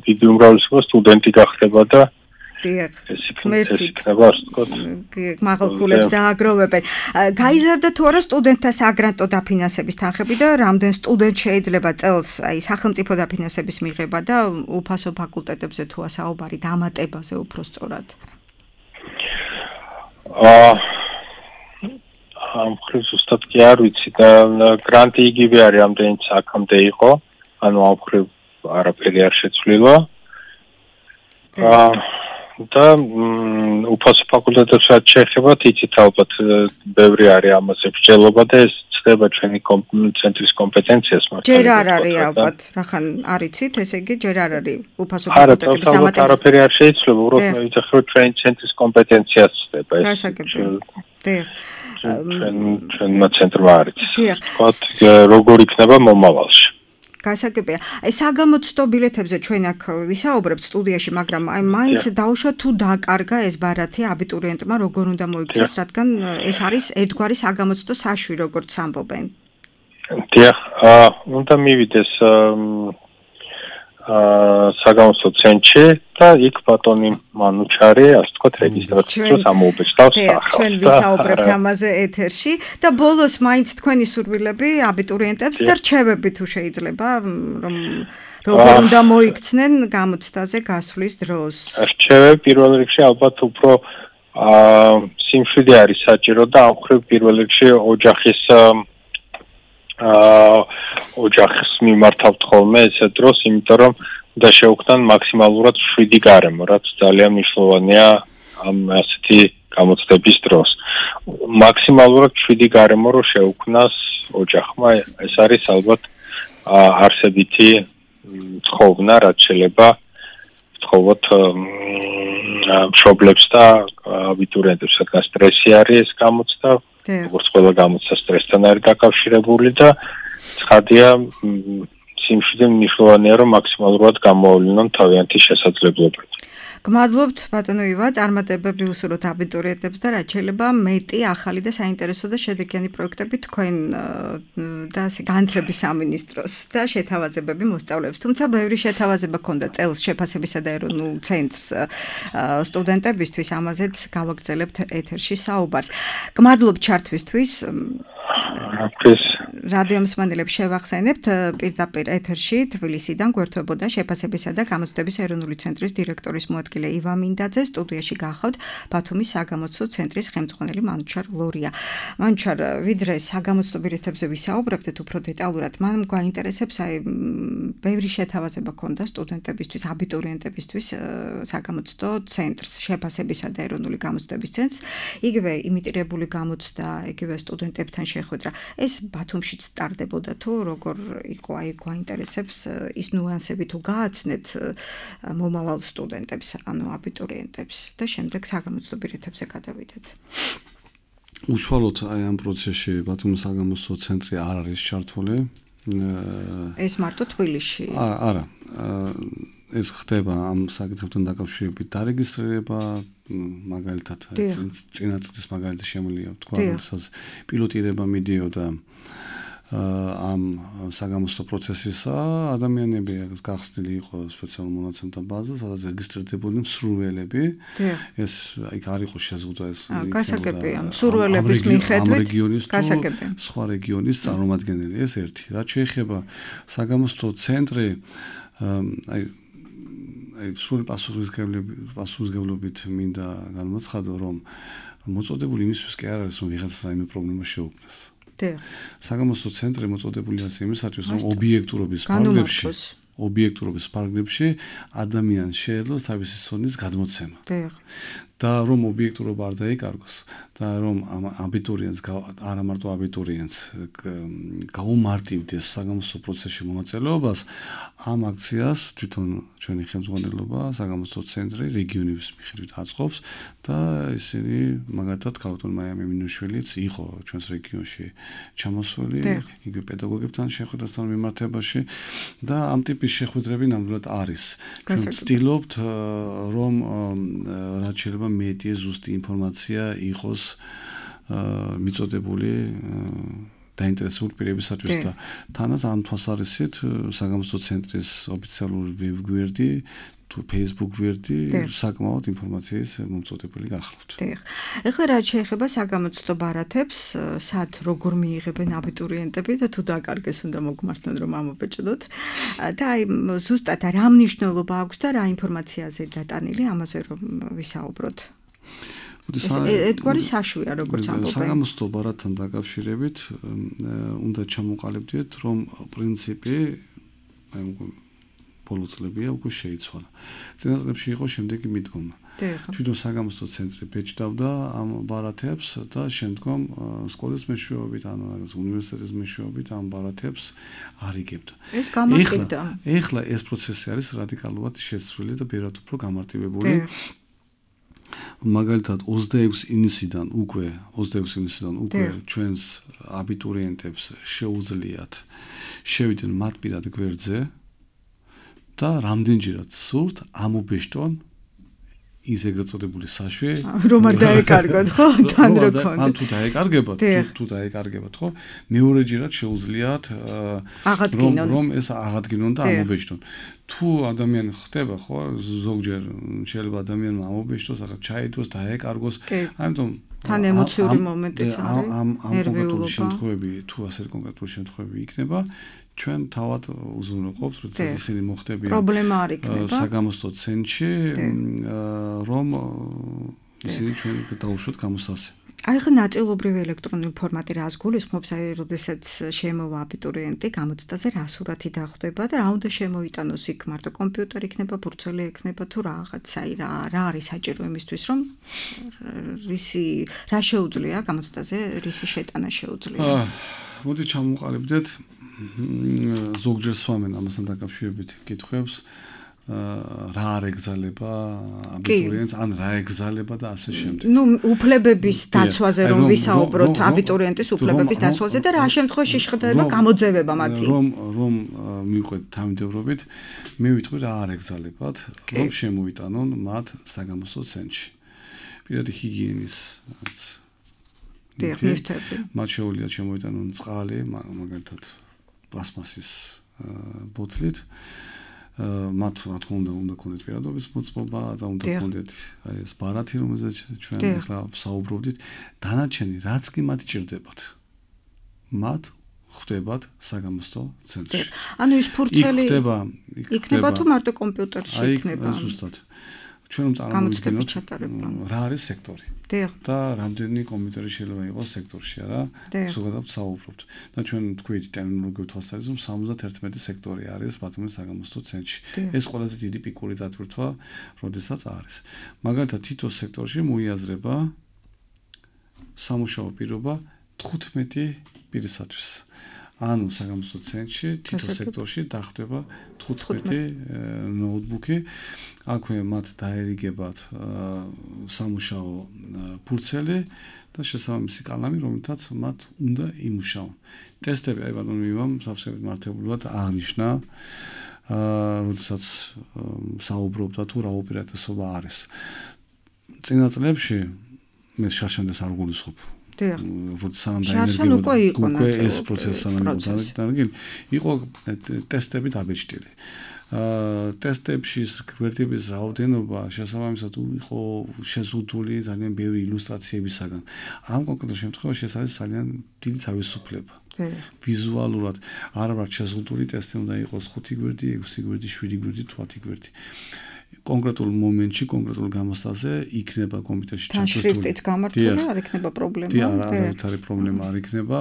დიდი უმრავლესობა სტუდენტი გახდება და დიახ, ღმერთი იქნება, ასე ვთქვათ. მაღალქულებს დააგროვებენ. გაიზარდა თუ არა სტუდენტთა საგრანტო დაფინანსების თანხები და რამდენ სტუდენტ შეიძლება წელს აი სახელმწიფო დაფინანსების მიღება და უფასო ფაკულტეტებზე თუ ასაუბარი დამატებაზე უფრო სწორად? აა ამ ხრივ ზუსტად კი არ ვიცი და გრანტი იგივე არის ამდენიც აქამდე იყო, ანუ ამ ხრივ არაფერი არ შეცვლილა. აა და უფასო ფაკულტეტებს რაც შეეხება, იცით ალბათ ბევრი არის ამაზე მსჯელობა და ეს ცდება ჩვენი ცენტრის კომპეტენციას მაგრამ ჯერ არ არის ალბათ, რახან არ იცით, ესე იგი ჯერ არ არის უფასო ფაკულტეტების დამატება. არაფერი არ შეიცვლება, უბრალოდ მე ვიცი რომ ჩვენი ცენტრის კომპეტენციას ცდება ეს. გასაგებია. დიახ. ჩვენმა ცენტრმა არის. დიახ. ვთქვათ, როგორ იქნება მომავალში. გასაგებია. აი საგამოცდო ბილეთებზე ჩვენ აქ ვისაუბრებთ სტუდიაში, მაგრამ აი მაინც დაუშვათ თუ დაკარგა ეს ბარათი აბიტურიენტმა როგორ უნდა მოიქცეს, რადგან ეს არის ერთგვარი საგამოცდო საშვი, როგორც ამბობენ. დიახ, აა უნდა მივიდეს აა საგამოცდო ცენტრში და იქ ბატონი მანუჩარი, ასე ვთქვათ, რეგისტრაციას ამოუბეჭდავს სახალხს. ჩვენ ვისაუბრებთ ამაზე ეთერში და ბოლოს მაინც თქვენი სურვილები აბიტურიენტებს და რჩევები თუ შეიძლება, რომ როგორ უნდა მოიქცნენ გამოცდაზე გასვლის დროს. რჩევები პირველ რიგში ალბათ უფრო აა სიმშვიდე არის საჭირო და ამ ხრივ პირველ რიგში ოჯახის აა ოჯახს მიმართავთ ხოლმე ესე დროს, იმიტომ რომ და შეუქმნან მაქსიმალურად შვიდი გარემო, რაც ძალიან მნიშვნელოვანია ამ ასეთი გამოცდების დროს. მაქსიმალურად შვიდი გარემო რო შეუქმნას ოჯახმა, ეს არის ალბათ არსებითი ცხოვრება, რაც შეიძლება ვთხოვოთ მშობლებს და აბიტურიენტებს, რადგან სტრესი არის ეს გამოცდა. როგორც ყველა გამოცდა სტრესთან არის დაკავშირებული და ცხადია სიმშვიდე მნიშვნელოვანია რომ მაქსიმალურად გამოავლინონ თავიანთი შესაძლებლობები. გმადლობთ ბატონო ივა, წარმატებები უსურვოთ აბიტურიენტებს და რაც შეიძლება მეტი ახალი და საინტერესო და შედეგიანი პროექტები თქვენ და ასე განათლების სამინისტროს და შეთავაზებები მოსწავლეებს. თუმცა ბევრი შეთავაზება ქონდა წელს შეფასებისა და ეროვნულ ცენტრს სტუდენტებისთვის, ამაზეც გავაგრძელებთ ეთერში საუბარს. გმადლობთ ჩართვისთვის. რადიო მსმენელებს შევახსენებთ პირდაპირ ეთერში თბილისიდან გვერდებოდა შეფასებისა და გამოცდების ეროვნული ცენტრის დირექტორის მოადგილე ივა მინდაძე, სტუდიაში გახავთ ბათუმის საგამოცდო ცენტრის ხელმძღვანელი მანუჩარ ლორია. მანუჩარ, ვიდრე საგამოცდო ბილეთებზე ვისაუბრებთ უფრო დეტალურად, მან გვაინტერესებს აი ბევრი შეთავაზება ქონდა სტუდენტებისთვის, აბიტურიენტებისთვის საგამოცდო ცენტრს, შეფასებისა და ეროვნული გამოცდების ცენტრს, იგივე იმიტირებული გამოცდა, იგივე სტუდენტებთან შეხვედრა. ეს ბათუმშიც ტარდებოდა თუ როგორ იყო, აი გვაინტერესებს ის ნუანსები თუ გააცნეთ მომავალ სტუდენტებს, ანუ აბიტურიენტებს და შემდეგ საგამოცდო ბილეთებზე გადავიდეთ. უშუალოდ აი ამ პროცესში ბათუმის საგამოცდო ცენტრი არ არის ჩართული. ეს მარტო თბილისში. არა. ეს ხდება ამ საკითხებთან დაკავშირებით დარეგისტრირება, მაგალითად წინა წლის მაგალითად შემიძლია ვთქვა, როდესაც პილოტირება მიდიოდა ამ საგამოცდო პროცესისა, ადამიანები გახსნილი იყო სპეციალურ მონაცემთა ბაზა, სადაც რეგისტრირდებოდნენ მსურველები. ეს იქ არ იყო შეზღუდვა ეს. გასაგებია, მსურველების მიხედვით გასაგებია. სხვა რეგიონის წარმომადგენელი ეს ერთი. რაც შეეხება საგამოცდო ცენტრი, აი აი სრული პასუხისმგებლობით მინდა განმოცხადო, რომ მოწოდებული იმისთვის კი არ არის, რომ ვიღაცა რაიმე პრობლემა შეუქმნას. დიახ. საგამოსტო ცენტრი მოწოდებული არის იმისათვის, რომ ობიექტურობის ფარგლებში ობიექტურობის ფარგლებში ადამიანს შეეძლოს თავისი ცოდნის გადმოცემა. დიახ. და რომ ობიექტურობა არ დაიკარგოს და რომ აბიტურიენტს არა მარტო აბიტურიენტს გაუმარტივდეს საგამოსტო პროცესში მონაწილეობას, ამ აქციას თვითონ ჩვენი ხელმძღვანელობა საგამოსტო ცენტრი რეგიონების მიხედვით აწყობს და ისინი მაგათად ქალბატონ მაია მინუშვილიც იყო ჩვენს რეგიონში ჩამოსული, იგივე პედაგოგებთან შეხვედრასთან მიმართებაში და ამ ტიპის შეხვედრები ნამდვილად არის. ჩვენ ვცდილობთ რომ რაც შეიძლება მეტი ზუსტი ინფორმაცია იყოს მიწოდებული დაინტერესებული პირებისათვის და თანაც ამ თვალსაზრისით საგამოსტო ცენტრის ოფიციალური ვებგვერდი თუ Facebook გვერდი საკმაოდ ინფორმაციის მომწოდებელი გახლავთ. დიახ. ეხლა რაც შეეხება საგამოცდო ბარათებს, სად როგორ მიიღებენ აბიტურიენტები და თუ დაკარგეს უნდა მოგმართონ რომ ამობეჭდოთ და აი ზუსტად რა მნიშვნელობა აქვს და რა ინფორმაციაზე დატანილი ამაზე რომ ვისაუბროთ. ეთგვარი საშვია როგორც ამბობენ. საგამოცდო ბარათთან დაკავშირებით უნდა ჩამოყალიბდეთ რომ პრინციპი აი ბოლო წლებია უკვე შეიცვალა. წინა წლებში იყო შემდეგი მიდგომა. თვითონ საგამოცდო ცენტრი ბეჭდავდა ამ ბარათებს და შემდგომ სკოლის მეშვეობით ან რაღაც უნივერსიტეტის მეშვეობით ამ ბარათებს არიგებდა. ეს გამარტივდა. ეხლა ეს პროცესი არის რადიკალურად შეცვლილი და ბევრად უფრო გამარტივებული. მაგალითად ოცდაექვსი ივნისიდან უკვე ოცდაექვსი ივნისიდან უკვე ჩვენს აბიტურიენტებს შეუძლიათ შევიდნენ მათ პირად გვერდზე და რამდენჯერაც სურთ ამობეჭდონ ის ეგრეთ წოდებული საშვე რომ არ დაეკარგოთ ხო თან რო კონდ ან თუ დაეკარგებათ თუ დაეკარგებათ ხო მეორეჯერად შეუძლიათ რომ რომ ეს აღადგინონ და ამობეჭდონ თუ ადამიანი ხდება ხო ზოგჯერ შეიძლება ადამიანმა ამობეჭდოს ახლა ჩაიდოს დაეკარგოს ამიტომ თან ემოციური მომენტიც არის ამ ამ კონკრეტული შემთხვევები თუ ასე კონკრეტული შემთხვევები იქნება ჩვენ თავად უზრუნველყოფთ როცა ისინი მოხდებიან პრობლემა არ იქნება საგამოსტო ცენტრში რომ ისინი ჩვენ დაუშვათ გამოსასე აი ხა ნაწილობრივი ელექტრონული ფორმატი რას გულისხმობს აი როდესაც შემოვა აბიტურიენტი გამოცდაზე რა სურათი დახვდება და რა უნდა შემოიტანოს იქ მარტო კომპიუტერი იქნება ბურცელი იქნება თუ რაღაც აი რა რა არის საჭირო იმისთვის რომ რისი რა შეუძლია გამოცდაზე რისი შეტანა შეუძლია მოდი ჩამოვყალიბდეთ ზოგჯერ სვამენ ამასთან დაკავშირებით კითხვებს რა არ ეგზალება აბიტურიენტს ან რა ეგზალება და ასე შემდეგ. ნუ უფლებების დაცვაზე რომ ვისაუბროთ აბიტურიენტის უფლებების დაცვაზე და რა შემთხვევაში შეხვდება გამოძევება მათი. რომ რომ მივყვეთ თავმჯდომარობით მე ვიტყვი რა არ ეგზალებათ რომ შემოიტანონ მათ საგამოსტო ცენტრში. პირადი ჰიგიენის დიაგნოსტიკები. მათ შეუძლიათ შემოიტანონ წყალი მაგალითად პლასმასის ბოთლით მათ რა თქმა უნდა უნდა ქონდეთ პირადობის მოწმობა და უნდა ქონდეთ აი ეს ბარათი რომელზეც ჩვენ ახლა ვსაუბრობდით დანარჩენი რაც კი მათ ჭირდებათ მათ ხდებათ საგამოსტო ცენტრში ანუ ის ფურცელი იქნება იქნება თუ მარტო კომპიუტერში იქნება აი ზუსტად ჩვენ წარმოვიდგინოთ რა არის სექტორი და რამდენი კომპიუტერი შეიძლება იყოს სექტორში არა ზოგადად ვსაუბრობთ და ჩვენ თქვით ტერმინოლოგიურ თვალსაზრისით სამოცდაერთმეტი სექტორი არის ბათუმის საგამოსტო ცენტრში ეს ყველაზე დიდი პიკური დატვირთვა როდესაც არის მაგალითად თითო სექტორში მოიაზრება სამუშაო პირობა თხუთმეტი პირისათვის ანუ საგამოსტო ცენტრში თითო სექტორში დახვდება თხუთმეტი ნოუთბუქი აქვე მათ დაერიგებათ სამუშაო ფურცელი და შესაბამისი კალამი რომელთაც მათ უნდა იმუშაონ ტესტები აი ბატონო მივამ სავსებით მართებულად აღნიშნა როდესაც საუბრობდა თუ რა ოპერატესობა არის წინა წლებში მე შარშანდეს არ გულისხმობ სანამ დაინერგებოდა უკვე ეს პროცესი სანამ დაინერგებოდა იყო ტესტები დაბეჭდილი ტესტებში გვერდების რაოდენობა შესაბამისად იყო შეზღუდული ძალიან ბევრი ილუსტრაციებისაგან ამ კონკრეტულ შემთხვევაში ეს არის ძალიან დიდი თავისუფლება ვიზუალურად არ ვარ შეზღუდული ტესტი უნდა იყოს ხუთი გვერდი, ექვსი გვერდი, შვიდი გვერდი თუ ათი გვერდი კონკრეტულ მომენტში, კონკრეტულ გამოსტაზე იქნება კომპიუტერში ჩართული. თან შრიფტით გამართული არ იქნება პრობლემა. დიახ, არ არის პრობლემა, არ იქნება.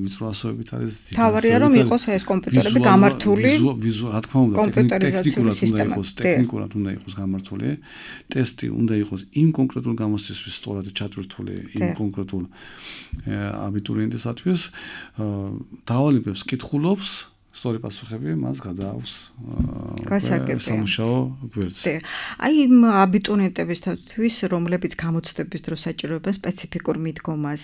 ვიზუალიზაციებით არის. თავარია რომ იყოს ეს კომპიუტერები გამართული. ვიზუალ, რა თქმა უნდა, ტექნიკურად უნდა იყოს, ტექნიკურად უნდა იყოს გამართული. ტესტი უნდა იყოს იმ კონკრეტულ გამოსტისთვის სწორად ჩატვირთული, იმ კონკრეტულ აბიტურიენტისათვის. დავალებებს კითხულობს სწორი პასუხები მას გადააქვს სამუშაო გვერდზე. აი იმ აბიტურიენტებისთვის, რომლებიც გამოცდების დროს საჭიროებენ სპეციფიკურ მიდგომას,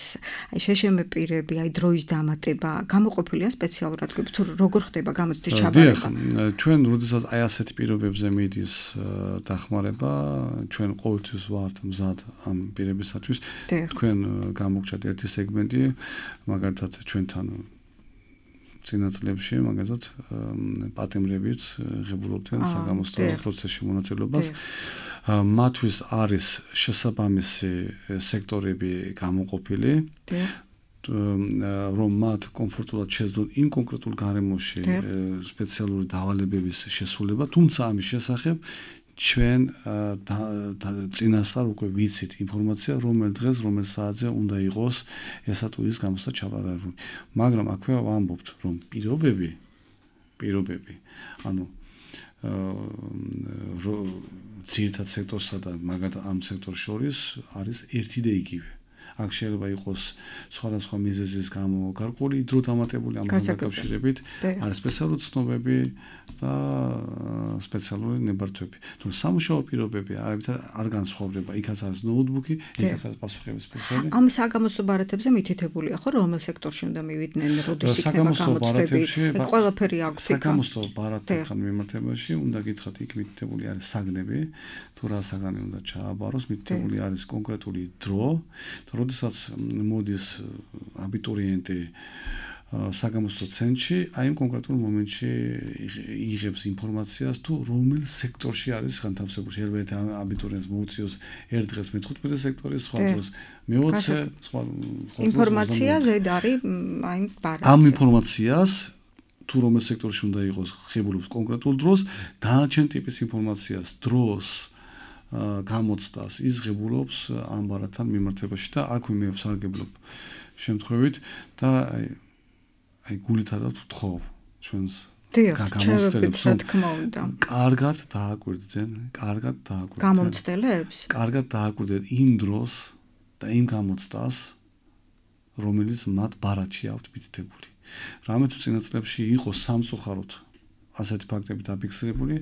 აი შეშემე პირები, აი დროის დამატება, გამოყოფილია სპეციალურად თუ როგორ ხდება გამოცდის ჩაბარება? დიახ, ჩვენ როდესაც აი ასეთი პირობებზე მიდის დახმარება, ჩვენ ყოველთვის ვართ მზად ამ პირებისათვის. თქვენ გამოგჩათ ერთი სეგმენტი, მაგალითად ჩვენთან წინა წლებში მაგალითად პატიმრებიც ღებულობდნენ საგამოსტო პროცესში მონაწილეობას. მათთვის არის შესაბამისი სექტორები გამოყოფილი, რომ მათ კომფორტულად შეძლონ იმ კონკრეტულ გარემოში სპეციალური დავალებების შესრულება, თუმცა ამის შესახებ ჩვენ წინასწარ უკვე ვიცით ინფორმაცია, რომელ დღეს, რომელ საათზე უნდა იყოს ესა თუ ის გამოსტა ჩაბარებული. მაგრამ აქვე ვამბობთ, რომ პირობები, პირობები, ანუ ძირითად სექტორსა და მაგალითად ამ სექტორს შორის არის ერთი და იგივე. აქ შეიძლება იყოს სხვადასხვა მიზეზის გამო გარკვეული დრო დამატებული ამასთან დაკავშირებით, არის სპეციალური ცნობები და სპეციალური ნებართვები. თუმცა სამუშაო პირობები არ განსხვავდება, იქაც არის ნოუთბუქი, იქაც არის პასუხების სპეციალი. ამ საგამოსტო ბარათებზე მითითებულია ხო, რომელ სექტორში უნდა მივიდნენ, როდის იქნება გამოცდები? ყველაფერი აქვს იქ. საგამოსტო ბარათებთან მიმართებაში უნდა გითხრათ, იქ მითითებული არის საგნები, თუ რა საგანი უნდა ჩააბაროს, მითითებული არის კონკრეტული დრო. როდესაც მოდის აბიტურიენტი საგამოსტო ცენტრში, აი იმ კონკრეტულ მომენტში იღებს ინფორმაციას თუ რომელ სექტორში არის განთავსებული. შეიძლება ერთ აბიტურიენტს მოუწიოს ერთ დღეს მეთერთმეტე სექტორი, სხვა დროს მეოცე, სხვა ინფორმაცია ზედ არის აი ბარათზე. ამ ინფორმაციას თუ რომელ სექტორში უნდა იყოს ღებულობს კონკრეტულ დროს, დანარჩენ ტიპის ინფორმაციას დროს გამოცდას ის ღებულობს ამ ბარათთან მიმართებაში და აქვე მე ვსარგებლობ შემთხვევით და აი აი გულითადავ ვთხოვ ჩვენს გამოცდელებს რა თქმა უნდა. კარგად დააკვირდნენ, კარგად დააკვირდნენ. გამოცდელებს? კარგად დააკვირდნენ იმ დროს და იმ გამოცდას, რომელიც მათ ბარათში აქვთ მითითებული. რამე თუ წინა წლებში იყო სამწუხაროდ ასეთი ფაქტები დაფიქსირებული,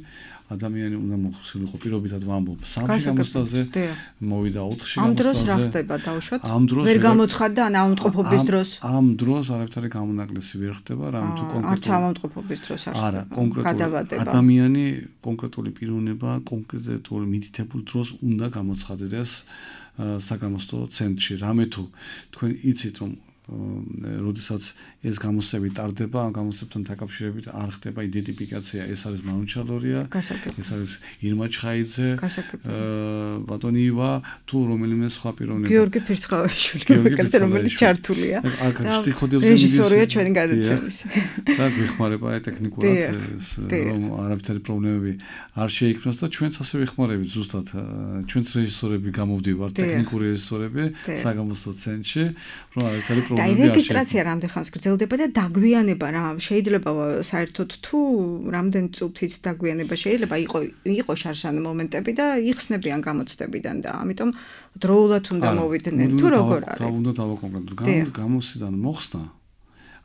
ადამიანი უნდა მოხსნილიყო პირობითად ვამბობ სამში გამოცდაზე, მოვიდა ოთხში გამოცდაზე. ამ დროს რა ხდება დავუშვათ? ვერ გამოცხადდა ან ავადმყოფობის დროს? ამ დროს არავითარი გამონაკლისი ვერ ხდება, რამე თუ კონკრეტული არც ავადმყოფობის დროს არ ხდება. არა, კონკრეტული ადამიანი, კონკრეტული პიროვნება, კონკრეტული მითითებულ დროს უნდა გამოცხადდეს საგამოსტო ცენტრში. რამე თუ თქვენ იცით რომ როდესაც ეს გამოსწები ტარდება, ამ გამოსწებთან დაკავშირებით არ ხდება იდენტიფიკაცია, ეს არის მანუჩალორია, ეს არის ირმა ჩხაიძე, ბატონი ივა, თუ რომელიმე სხვა პიროვნება. გიორგი ფირცხავაშვილი, მეკარზე რომელიც ჩართულია. რეჟისორია ჩვენი გადაცემის. და გვიხმარება აი ტექნიკურად რომ არავითარი პრობლემები არ შეიქმნას და ჩვენც ასე ვიხმარებით ზუსტად. ჩვენც რეჟისორები გამოვდივართ, ტექნიკური რეჟისორები საგამოსტო ცენტრში, რომ არავითარი და რეგისტრაცია რამდენ ხანს გრძელდება და დაგვიანება რა შეიძლება საერთოდ თუ რამდენ წუთით დაგვიანება შეიძლება იყო იყო შარშან მომენტები და იხსნებიან გამოცდებიდან და ამიტომ დროულად უნდა მოვიდნენ თუ როგორ არის? და უნდა დავაკონკრეტოთ. გამოსიდან მოხსნა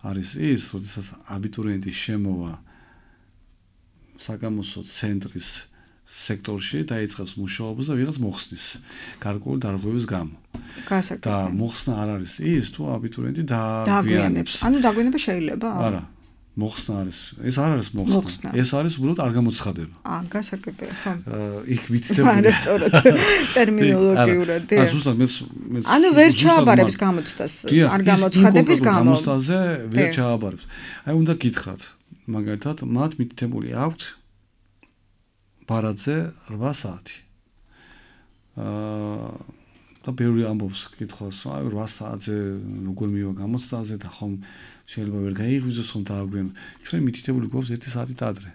არის ის, როდესაც აბიტურიენტი შემოვა საგამოსტო ცენტრის სექტორში დაიწყებს მუშაობას და ვიღაც მოხსნის გარკვეული დარღვევის გამო. და მოხსნა არ არის ის, თუ აბიტურიენტი დაგვიანებს. ანუ დაგვიანება შეიძლება? არა. მოხსნა არის. ეს არ არის მოხსნა. ეს არის უბრალოდ არ გამოცხადება. აა, გასაგებია, ხო. იქ მითითებული. არა, სწორად. ტერმინოლოგიურად, დიახ. აა, ზუსტად მე მე ანუ ვერ ჩააბარებს გამოცდას, არ გამოცხადების გამო. გამოცდაზე ვერ ჩააბარებს. აი, უნდა გითხრათ, მაგალითად, მათ მითითებული აქვთ ბარათზე რვა საათი. აა და ბევრი ამბობს კითხავს, აი რვა საათზე როგორ მივა გამოცდაზე და ხომ შეიძლება ვერ გაიღვიძოს ხომ დააგვიანო. ჩვენ მითითებული გვაქვს ერთი საათით ადრე.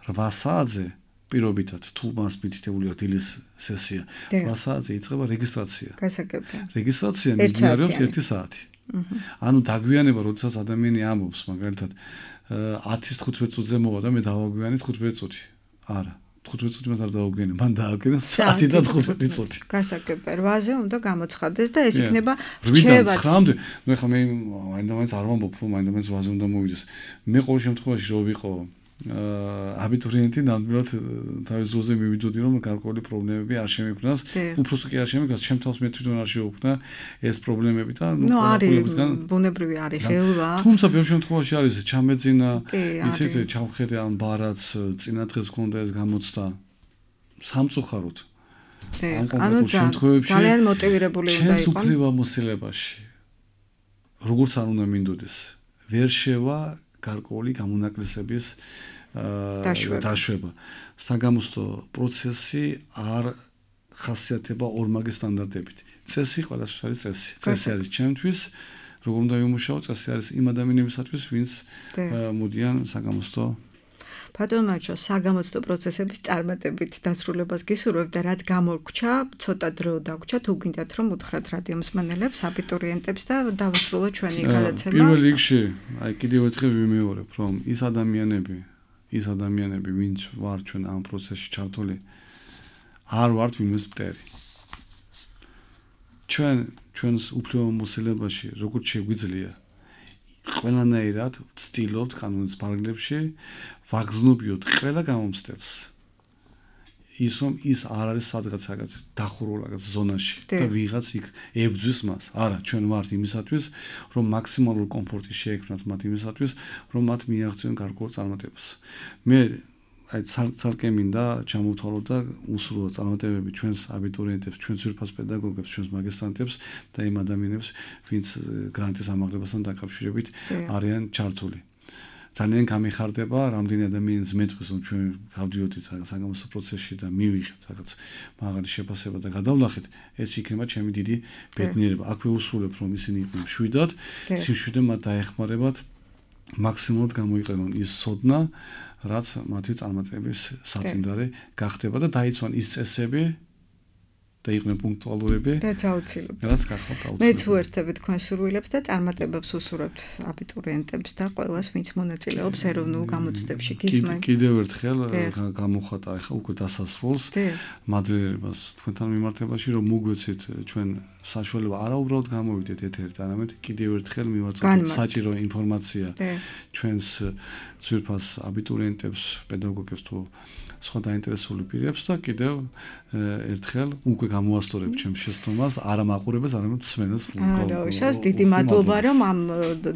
რვა საათზე პირობითად თუ მას მითითებული აქვს დილის სესია, რვა საათზე იწყება რეგისტრაცია. გასაგებია. რეგისტრაცია მიმდინარეობს ერთი საათი. ანუ დაგვიანება, როდესაც ადამიანი ამბობს, მაგალითად, ათის თხუთმეტ წუთზე მოვა და მე დავაგვიანე თხუთმეტ წუთი. არა. თხუთმეტ წუთი მას არ დავაგვიანე, მან დააგვიანა საათი და თხუთმეტ წუთი. გასაგებია. რვაზე უნდა გამოცხადდეს და ეს იქნება რვიდან ცხრამდე. ნუ ეხლა მე მაინდა-მაინც არ ვამბობ, რომ მაინდა-მაინც რვაზე უნდა მოვიდეს. მე ყოველ შემთხვევაში რო ვიყო აბიტურიენტი ნამდვილად თავის ძროზე მივიდოდი რომ გარკვეული პრობლემები არ შემექმნას, უბრალოდ კი არ შემექმნას, ჩემ თავს მე თვითონ არ შევუქმნა ეს პრობლემები და ნუ ყველაფერისგან ბუნებრივი არის ხელვა. თუმცა ბევრ შემთხვევაში არის ჩამეძინა, იცით, ჩავხედე ამ ბარაც წინა დღეს გქონდა ეს გამოცდა სამწუხაროდ. ამ კონკრეტულ შემთხვევებში ძალიან მოტივირებული უნდა იყოს. ჩემს უფლება მოსილებაში როგორც არ უნდა მინდოდეს, ვერ შევა გარკვეული გამონაკლისების დაშვება. საგამოსტო პროცესი არ ხასიათდება ორმაგი სტანდარტებით. წესი ყველასთვის არის წესი. წესი არის ჩემთვის, როგორ უნდა ვიმუშაო, წესი არის იმ ადამიანებისათვის, ვინც მოდიან საგამოსტო ბატონო მარჩო, საგამოცდო პროცესების წარმატებით დასრულებას გისურვებ და რაც გამორჩა, ცოტა დრო დაგვრჩა, თუ გინდათ რომ უთხრათ რადიო მსმენელებს, აბიტურიენტებს და დავასრულოთ ჩვენი გადაცემა. პირველ რიგში, აი კიდევ ერთხელ ვიმეორებ, რომ ის ადამიანები, ის ადამიანები, ვინც ვარ ჩვენ ამ პროცესში ჩართული, არ ვართ ვინმეს მტერი. ჩვენ ჩვენს უფლებამოსილებაში, როგორც შეგვიძლია ყველანაირად ვცდილობთ კანონის პარაგრაფებში ვაგზნობიოთ ყველა გამომცდელს ის რომ ის არ არის სადღაც დახურულ რაღაც ზონაში და ვიღაც იქ ებძვის მას. არა, ჩვენ ვართ იმისათვის, რომ მაქსიმალური კომფორტი შეექმნათ მათ იმისათვის, რომ მათ მიაღწიონ გარკვეულ წარმატებას. მე აი ცალკე მინდა ჩამოვთვალოთ და უსრულო წარმატებები ჩვენს აბიტურიენტებს, ჩვენს ძვირფას პედაგოგებს, ჩვენს მაგისტრანტებს და იმ ადამიანებს, ვინც გრანტის ამაღლებასთან დაკავშირებით არიან ჩართული. ძალიან გამიხარდება რამდენი ადამიანის მეტყვის, რომ ჩვენ გავდიოდით საგამოსტო პროცესში და მივიღეთ რაღაც მაღალი შეფასება და გადავლახეთ, ეს იქნება ჩემი დიდი ბედნიერება. აქვე უსრულებ, რომ ისინი იყვნენ მშვიდად, სიმშვიდე მათ დაეხმარებათ მაქსიმალურად გამოიყენონ ის სოდნა, რაც მათი წარმატების საწინდარი გახდება და დაიცვან ის წესები და იყვნენ პუნქტუალურები. რაც აუცილებელი. რაც გახავთ აუცილებელი. მე თუ ერთებით თქვენ სურვილებს და წარმატებებს უსურვებთ აბიტურიენტებს და ყველას, ვინც მონაწილეობს ეროვნულ გამოცდებში. გისმენთ. კიდევ ერთხელ გამოხატა ახლა უკვე დასასრულს მადლიერებას თქვენთან მიმართებაში, რომ მოგვეცით ჩვენ საშუალება არა უბრალოდ გამოვიდეთ ეთერით, არამედ კიდევ ერთხელ მივაწოდოთ საჭირო ინფორმაცია ჩვენს ძვირფას აბიტურიენტებს, პედაგოგებს თუ სხვა დაინტერესებული პირებს და კიდევ ერთხელ უკვე გამოასწორებ ჩემს შეცდომას, არა მაყურებელს, არამედ მსმენელს. არა, შას დიდი მადლობა, რომ ამ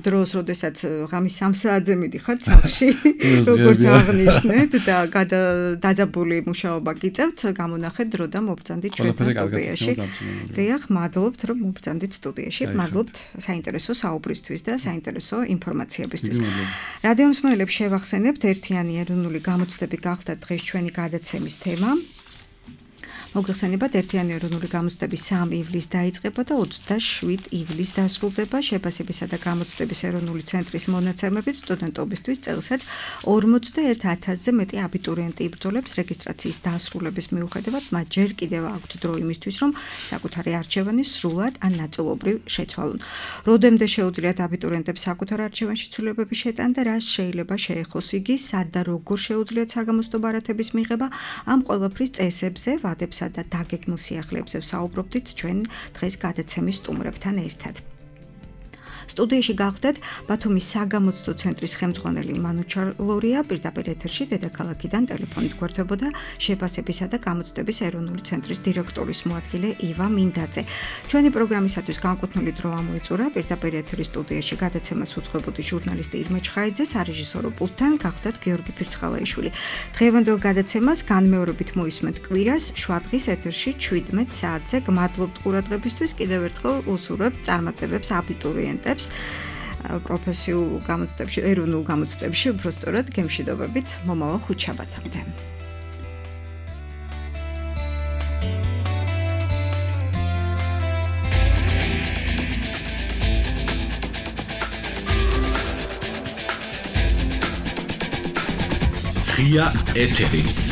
დროს, როდესაც ღამის სამ საათზე მიდიხართ სახლში, როგორც აღნიშნეთ და დაძაბული მუშაობა გიწევთ, გამონახეთ დრო და მობრძანდით ჩვენთან სტუდიაში. დიახ, მადლობთ, რომ მობრძანდით სტუდიაში. მადლობთ საინტერესო საუბრისთვის და საინტერესო ინფორმაციებისთვის. რადიო მსმენელებს შევახსენებთ, ერთიანი ეროვნული გამოცდები გახდა დღეს ჩვენი გადაცემის თემა. მოგხსენებათ, ერთიანი ეროვნული გამოცდები სამი ივლისს დაიწყება და ოცდაშვიდ ივლისს დასრულდება. შეფასებისა და გამოცდების ეროვნული ცენტრის მონაცემებით სტუდენტობისთვის წელსაც ორმოცდაერთ ათასზე მეტი აბიტურიენტი იბრძოლებს რეგისტრაციის დასრულების მიუხედავად, მათ ჯერ კიდევ აქვთ დრო იმისთვის, რომ საკუთარი არჩევანი სრულად ან ნაწილობრივ შეცვალონ. როდემდე შეუძლიათ აბიტურიენტებს საკუთარ არჩევანში ცვლილებები შეტანონ და რას შეიძლება შეეხოს იგი, სად და როგორ შეუძლიათ საგამოცდო ბარათების მიღება, ამ ყველაფრის წესებზე, ვადებს და დაგეგმილ სიახლეებზე ვსაუბრობდით ჩვენ დღეს გადაცემის სტუმრებთან ერთად. სტუდიაში გახდეთ ბათუმის საგამოცდო ცენტრის ხელმძღვანელი მანუ ჩარლორია, პირდაპირ ეთერში დედაქალაქიდან ტელეფონით გვერდებოდა შეფასებისა და გამოცდების ეროვნული ცენტრის დირექტორის მოადგილე ივა მინდაძე. ჩვენი პროგრამისათვის განკუთვნილი დრო ამოიწურა, პირდაპირ ეთერის სტუდიაში გადაცემას უძღვებოდი ჟურნალისტი ირმე ჩხაიძე, სარეჟისორო პულტთან გახდათ გიორგი ფირცხალაიშვილი. დღევანდელ გადაცემას განმეორებით მოისმენთ კვირას, შვადღის ეთერში შვიდმეტ საათზე. გმადლობთ ყურადღებისთვის, კიდევ ერთხელ უსურვებთ წარმატებებს აბიტურიენტებს პროფესიულ გამოცდებში, ეროვნულ გამოცდებში, უბრალოდ გემშვიდობებით მომავალ ხუთშაბათამდე. ღია ეთერი.